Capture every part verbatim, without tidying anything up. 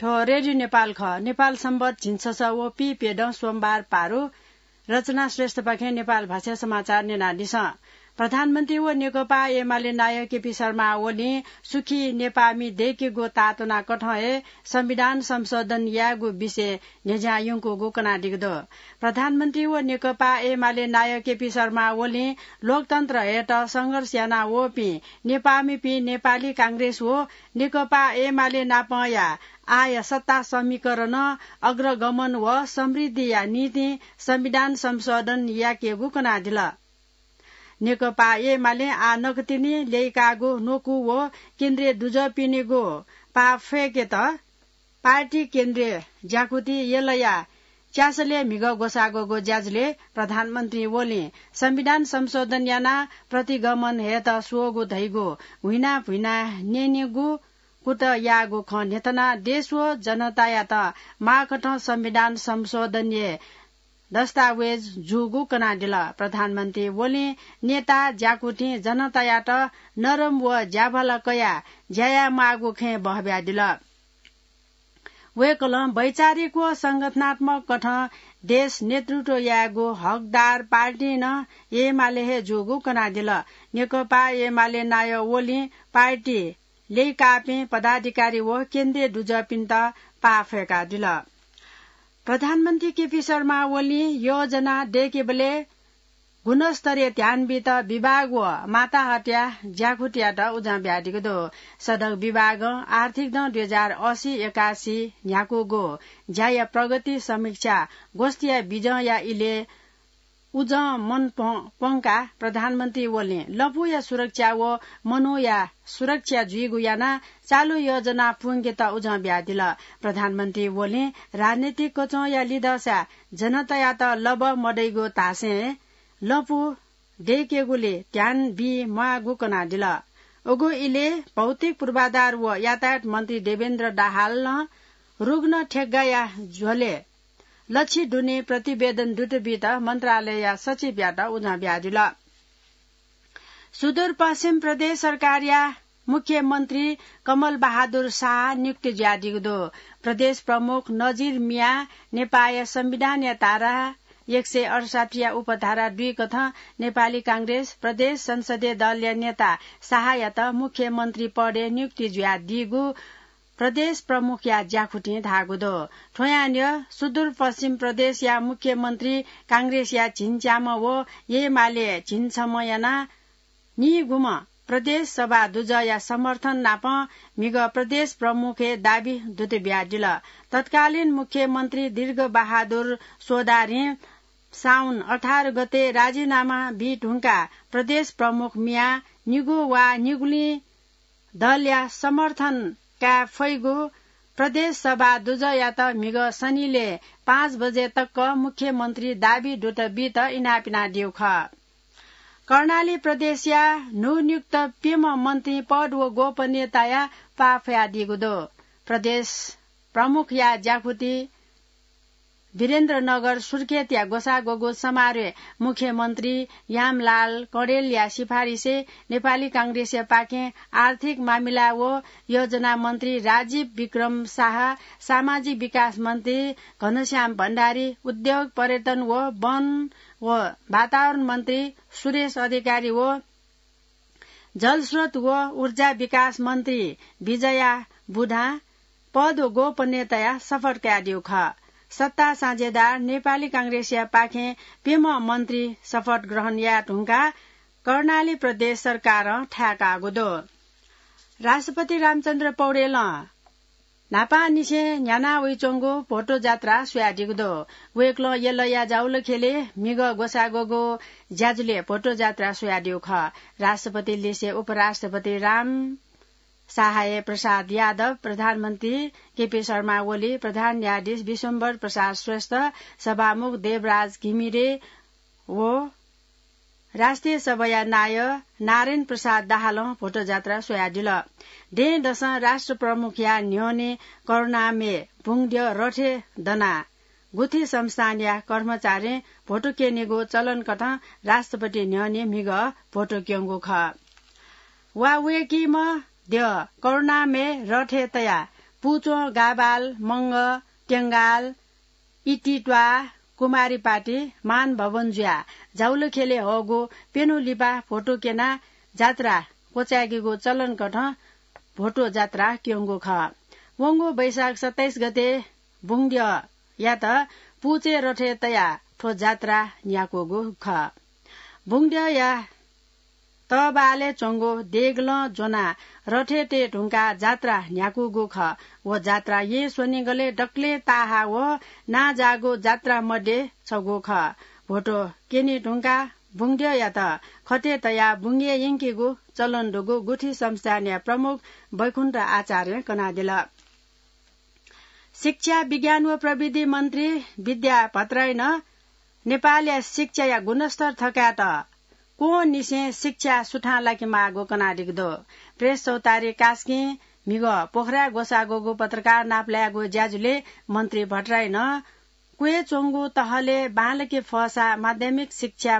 थ्व रेडियो नेपाल खः। नेपाल संवत झिंछसः व पीप्यदँ सोमबार पारु। रचना श्रेष्ठपाखें नेपाल भाषा समाचार न्यनादिसँ। प्रधानमन्त्री व नेकपा एमाले नायः केपी शर्मा ओलीं सुखी नेपाःमि दय्केगु ताःतुनाकथं हे संविधान संशोधन यायेगु विषय न्ह्यज्यां यंकूगु कनादीगु दु। प्रधानमन्त्री व नेकपा एमाले नायः केपी शर्मा ओलीं लोकतन्त्र हयेत संघर्ष याना वःपिं नेपाःमिपिं नेपाली कांग्रेस व नेकपा एमाले नापंया आःया सत्ता समीकरणं अग्रगमन व समृद्धिया निंतिं संविधान संशोधन याकेगु कनादिल। नेकपा एमालें आः नकतिनि ल्यय्काःगु न्वकू व केन्द्रीय दुजःपिनिगु पाः फय्केत पार्टी केन्द्रीय ज्याकुथि यलया च्यासलय् म्हिगः ग्वसाः ग्वःगु ज्याझ्वलय् प्रधानमन्त्री ओलीं संविधान संशोधन यानाः प्रतिगमन हयेत स्वःगु धइगु हुइना भुइना न्यनेगु कुतः याःगु खँ न्ह्यथनाः देश व जनतायात माःकथं संविधान संशोधनया दस्तावेज जूगु कनादिल। प्रधानमन्त्री ओलीं नेता ज्याकुथिं जनतायात नरम व ज्याभाला कयाः ज्या यायेमाःगु खँय् बहब्यादिल। वय्कलं वैचारिक व संगठनात्मक कथं देश नेतृत्व यायेगु हकदार पार्टी नं एमाले हे जूगु कनादिल। नेकपा एमाले नायः ओलीं पार्टी ल्यय्काःपिं पदाधिकारी व केन्द्रीय दुजःपिन्त पाः फय्कादिल। प्रधानमन्त्री केपी शर्मा ओलीं योजना दय्केबलय् गुणस्तरीय ध्यान बीत विभाग व माताहतया ज्याकुथियात उजं बियादीगु दु। सडक विभागं आर्थिक दँ दुई हजार असी एकासी न्ह्याकूगु ज्याया प्रगति समीक्षा गोष्ठीया बिजंया इलय् उजं मन प्वं-, प्वंकाः प्रधानमन्त्री ओलीं लँपुया सुरक्षा व मनूया सुरक्षा जुइगु यानाः चालु योजना पूवंकेत उजं बियादिल। प्रधानमन्त्री ओलीं राजनीतिक कचंया लिधःसा जनतायात लबः मदइगु धासें लँपु दय्केगुली ध्यान बी म्वाःगु कनादिल। उगु इलय् भौतिक पूर्वाधार व यातायात मन्त्री देवेन्द्र दाहालं रुग्ण ठेक्गाया झ्वलय् लच्छी दुने प्रतिवेदन दुत बीत मन्त्रालयया सचिवयात उजं बियादिल। सुदूरपश्चिम प्रदेश सरकारया मुख्यमन्त्री कमल बहादुर शाह नियुक्ति जुयादीगु दु। प्रदेश प्रमुख नजिर मियां नेपाःया संविधानया धारा एक सय अठसट्ठीया उपधारा दुई कथं नेपाली कांग्रेस प्रदेश संसदीय दलया नेता शाहयात मुख्यमन्त्री पदय् नियुक्ति जुयादीगु प्रदेश प्रमुखया ज्याकुथिं धाःगु दु। थ्वयां न्ह्यः सुदूरपश्चिम प्रदेशया मुख्यमन्त्री कांग्रेसया झिंच्याम्ह व एमाले झिंछम्ह यानाः निगूम्ह प्रदेश सभा दुजःया समर्थन नाप म्हिगः प्रदेश प्रमुखया दाबी दुत बियादिल। तत्कालीन मुख्यमन्त्री दीर्घ बहादुर चौधरीं साउन अठार गते राजीनामा बी धुंकाः प्रदेश प्रमुख मियाः निगू वा निगुलिं दलया समर्थन काये फइगु प्रदेश सभा दुजःयात म्हिगः सनिलय् पाँच बजे तक मुख्यमन्त्री दाबी दुत बीत इनाप यानादीगु खः। कर्णाली प्रदेशया न्हूनियुक्त प्यम्ह मन्त्री पद व गोपनीयताया पाः फयादीगु दु। प्रदेश प्रमुखया ज्याकुथि वीरेन्द्रनगर सुर्खेतया ग्वसाः ग्वःगु समारोहय् मुख्यमन्त्री यामलाल कडेलया सिफारिसय् नेपाली कांग्रेसया पाखें आर्थिक मामिला व योजना मन्त्री राजीव विक्रम शाह, सामाजिक विकास मन्त्री घनश्याम भण्डारी, उद्योग, पर्यटन व वन व वातावरण मन्त्री सुरेश अधिकारी व जलस्रोत व ऊर्जा विकास मन्त्री विजया बुढां पद व गोपनीयताया शपथ कयादीगु खः। सत्ता साझेदार नेपाली कांग्रेसया पाखें प्यम्ह मन्त्री शपथ ग्रहण याये धुंकाः कर्णाली प्रदेश सरकारं थाय्काःगु दु। राष्ट्रपति रामचन्द्र पौडेलं न्हापांनिसें न्ह्याना वइच्वंगु भोटो जात्रा स्वयादीगु दु। वय्कलं यलया जावलखेलय् म्हिगः ग्वसाः ग्वःगु ज्याझ्वलय् भोटो जात्रा स्वयादीगु खः। राष्ट्रपति लिसे उपराष्ट्रपति राम सहाय प्रसाद यादव, प्रधानमन्त्री केपी शर्मा ओली, प्रधान न्यायाधीश विश्वम्भर प्रसाद श्रेष्ठ, सभामुख देवराज घिमिरे व राष्ट्रिय सभाया नायः नारायण प्रसाद दाहालं भोटो जात्रा स्वयादिल। दँय्‌दसं राष्ट्र प्रमुखया न्ह्यःने करुणामय बुंगद्यः रथय् दनाः गुथि संस्थानया कर्मचारीं भोटो क्यनेगु चलन कथं राष्ट्रपति न्ह्यःने म्हिगः भोटो क्यंगु खः। वा वय्‌कीम्ह द्यः करुणामय रथय् तयाः पुचों गाबाल, मंग, तेंगाल, इतित्वा, कुमारीपाटी, मान भवन जुया जाउलखेले हःगु प्यन्हु लिपा भोटो क्यना जात्रा क्वचाय्केगु चलन कथं भोटो जात्रा क्यंगु खः। वंगु वैशाख सत्ताइस गते बुंगद्यःयात पुचय् रथय् तयाः थ्व जात्रा न्ह्याकूगु खः। बुंगद्यःया तःबालय् च्वंगु देगलं ज्वनाः रथय् तये धुंकाः जात्रा न्ह्याकूगु खः। व जात्रा येँ स्वनिगलय् दकलय् ताःहा व नांजाःगु जात्रा मध्ये छगू खः। भोटो क्यने धुंकाः बुंगद्यःयात खतय् तयाः बुंगय् यंकेगु चलन दुगु गुठी संस्थानया प्रमुख बैकुण्ठ आचार्यं कनादिल। शिक्षा, विज्ञान व प्रविधि मन्त्री विद्या भट्टराईनं नेपालया शिक्षाया गुणस्तर थकायेत क्वंनिसें शिक्षा सुथां लाकेमाःगु कनादीगु दु। प्रेस चौतारी कास्कीं म्हिगः पोखराय् ग्वसाः ग्वःगु पत्रकार नापलायेगु ज्याझ्वलय् मन्त्री भट्टराईनं क्वय् च्वंगु तहलय् बांलाक फःसा माध्यमिक शिक्षा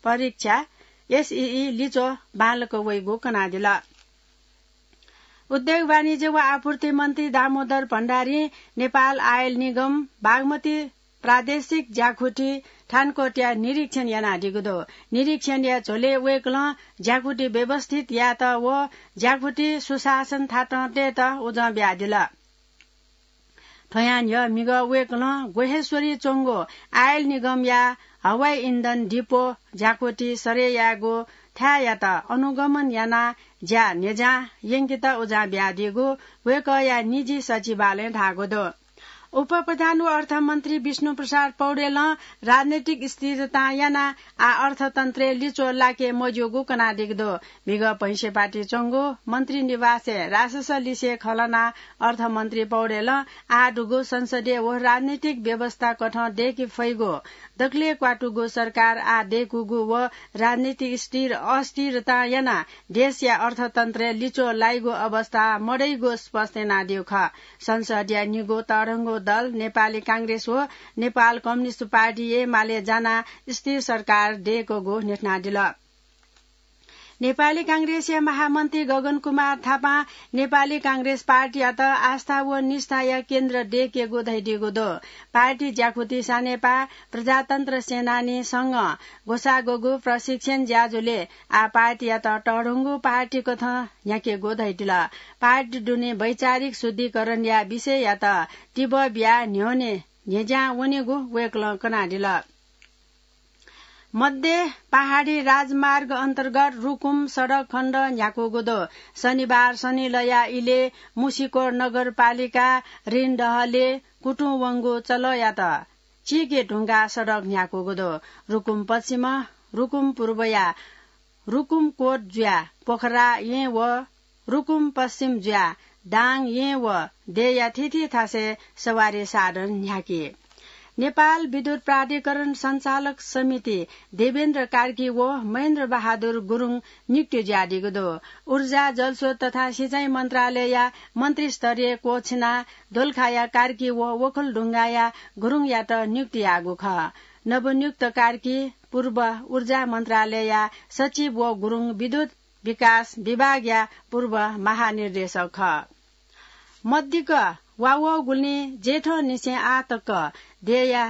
परीक्षा, एसईई, लिच्वः बांलाक वइगु कनादिल। उद्योग, वाणिज्य व आपूर्ति मन्त्री दामोदर भण्डारीं नेपाल आयल निगम बागमती प्रादेशिक ज्याकुथि थानकोटया निरीक्षण यानादीगु दु। निरीक्षणया झ्वलय् वय्कलं ज्याकुथि व्यवस्थित यायेत व ज्याकुथि सुशासन थातं तयेत उजं बियादिल। थ्वयां न्ह्यः म्हिगः वय्कलं ग्वहेश्वरी च्वंगु आयल निगमया हवाई इन्धन डिपो ज्याकुथि सरय् यायेगु थाय्‌यात अनुगमन यानाः ज्या न्हेज्यां यंकेत उजं बियादीगु वय्कःया निजी सचिवालयं धाःगु दु। उपप्रधान व अर्थमन्त्री विष्णुप्रसाद पौडेलं राजनैतिक स्थिरतां यानाः आः अर्थतन्त्रय् लिच्वः लाके मज्यूगु कनादीगु दु। म्हिगः भैंसेपाटी च्वंगु मन्त्री निवासय् रासस लिसे खँ ल्हानाः अर्थमन्त्री पौडेलं आः दुगु संसदीय व राजनैतिक व्यवस्था कथं दय्के फइगु, दकलय् क्वातुगु सरकार आः दय्कूगु व राजनैतिक स्थिर अस्थिरतां यानाः देशया अर्थतन्त्रय् लिच्वः लाइगु अवस्था मदइगु स्पष्ट यानादीगु खः। संसदया निगू तःधंगु दल नेपाली कांग्रेस व नेपाल कम्युनिस्ट पार्टी एमाले जानाः स्थिर सरकार दय्कूगु न्ह्यथनादिल। नेपाली कांग्रेसया महामन्त्री गगन कुमार थापां नेपाली कांग्रेस पार्टीयात आस्था व निष्ठाया केन्द्र दय्केगु धयादीगु दु। पार्टी ज्याकुथि सानेपा प्रजातन्त्र सेनानी संघं ग्वसाः ग्वःगु प्रशिक्षण ज्याझ्वलय् आः पार्टीयात तःधंगु पार्टी कथं न्ह्याकेगु धयादिल। पार्टी दुने वैचारिक शुद्धिकरणया विषययात तिबः बियाः न्ह्यःने न्हेज्यां वनेगु वय्कलं कनादिल। मध्य पहाडी राजमार्ग अन्तर्गत रुकुम सडक खण्ड न्ह्याकूगु दु। शनिबार सनिलया इलय् मुसिकोट नगरपालिका ऋणदहलय् कुतुं वंगु चलःयात चीके धुंकाः सडक न्ह्याकूगु दु। रुकुम पश्चिम, रुकुम पूर्वया रुकुमकोट जुयाः पोखरा येँ व रुकुम पश्चिम जुयाः दाङ येँ व देया थीथी थासय् सवारी साधन न्ह्याकी। नेपाल विद्युत प्राधिकरण सञ्चालक समिति देवेन्द्र कार्की व महेन्द्र बहादुर गुरुङ नियुक्त जुयादीगु दु। ऊर्जा, जलस्रोत तथा सिँचाइ मन्त्रालयया मन्त्रीस्तरीय कोछिना दोलखाया कार्की व ओखलढुङ्गाया गुरुङयात नियुक्त याःगु खः। नवनियुक्त कार्की पूर्व ऊर्जा मन्त्रालयया सचिव व गुरुङ विद्युत विकास विभागया पूर्व महानिर्देशक खः। मदिक्क वा वःगुलिं जेठंनिसें आः तक देया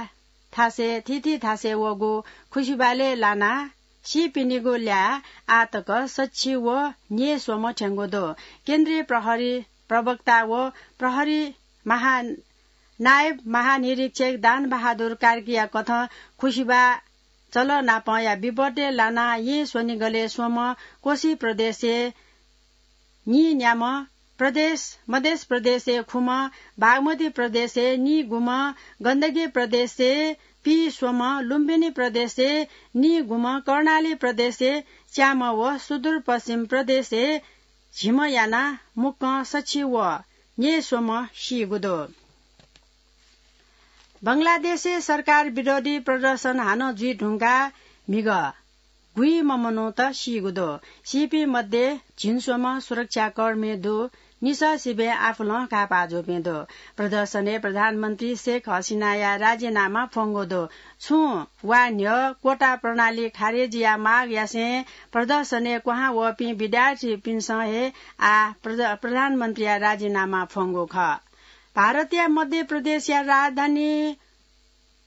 थासय् थीथी थासय् वःगु खुसिबालय् लानाः सीपिनिगु ल्याः आः तक सछि व न्यय् स्वम्ह थ्यंगु दु। केन्द्रीय प्रहरी प्रवक्ता व प्रहरी महा-, नायब महानिरीक्षक दान बहादुर कार्कीया कथं खुसिबा चलः नापंया विपदय् लानाः येँ स्वनिगलय् स्वम्ह, कोशी प्रदेशय् नीन्याम्ह, प्रदेश, मधेश प्रदेशय् खुम्ह, बागमती प्रदेशय् निगुम्ह, गण्डकी प्रदेशय् पीस्वम्ह, लुम्बिनी प्रदेशय् निगुम्ह, कर्णाली प्रदेशय् च्याम्ह व सुदूरपश्चिम प्रदेशय् झिम्ह यानाः मुक्कं सछि व न्यय् स्वम्ह सीगु दु। बंगलादेशय् सरकार विरोधी प्रदर्शन हानं जुइ धुंकाः म्हिगः गुइम्ह मनूत सीगु दु। सीपिं मध्ये झिंस्वम्ह सुरक्षाकर्मी दु निसः सिबें आफुलं कापाः जूपिं दु। प्रदर्शनय् प्रधानमन्त्री शेख हसिनाया राजीनामा फ्वंगु दु। छुं वा न्ह्यः कोटा प्रणाली खारेजीया माग यासें प्रदर्शनय् क्वहां वःपिं विद्यार्थीपिन्सं हे आः प्रध-, प्रधानमन्त्रीया राजीनामा फ्वंगु खः। भारतया मध्य प्रदेशया राजधानी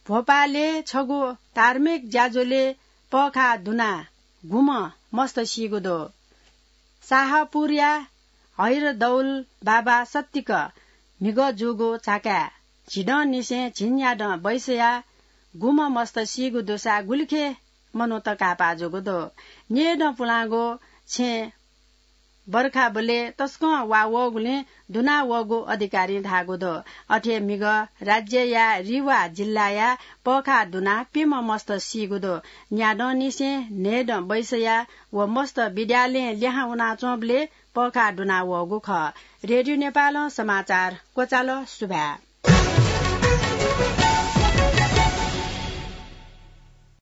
भोपालय् छगू धार्मिक ज्याझ्वलय् पःखाः दुनाः गुम्ह मस्त सीगु दु। शाहपुरया हैरदौल बाबा सत्तिक म्हिगः जूगु झाकाय् झिदँनिसें झिंन्यादँ बैसयाः गुम्ह मस्त सीगु दुसा गुलिखे मनूत कापाः जूगु दु। न्येदँ पुलांगु छेँ बर्खाबलय् तसकं वा वःगुलिं दुना वःगु अधिकारीं धाःगु दु। अथे म्हिगः राज्यया रिवा जिल्लाया पःखाः दुनाः प्यम्ह मस्त सीगु दु। न्यादँनिसें न्हय्दँ बैसया व मस्त विद्यालयं लिहां वनाच्वंबलय् पःखाः दुना वःगु खः। रेडियो नेपालं समाचार क्वचाल। सुभाय्।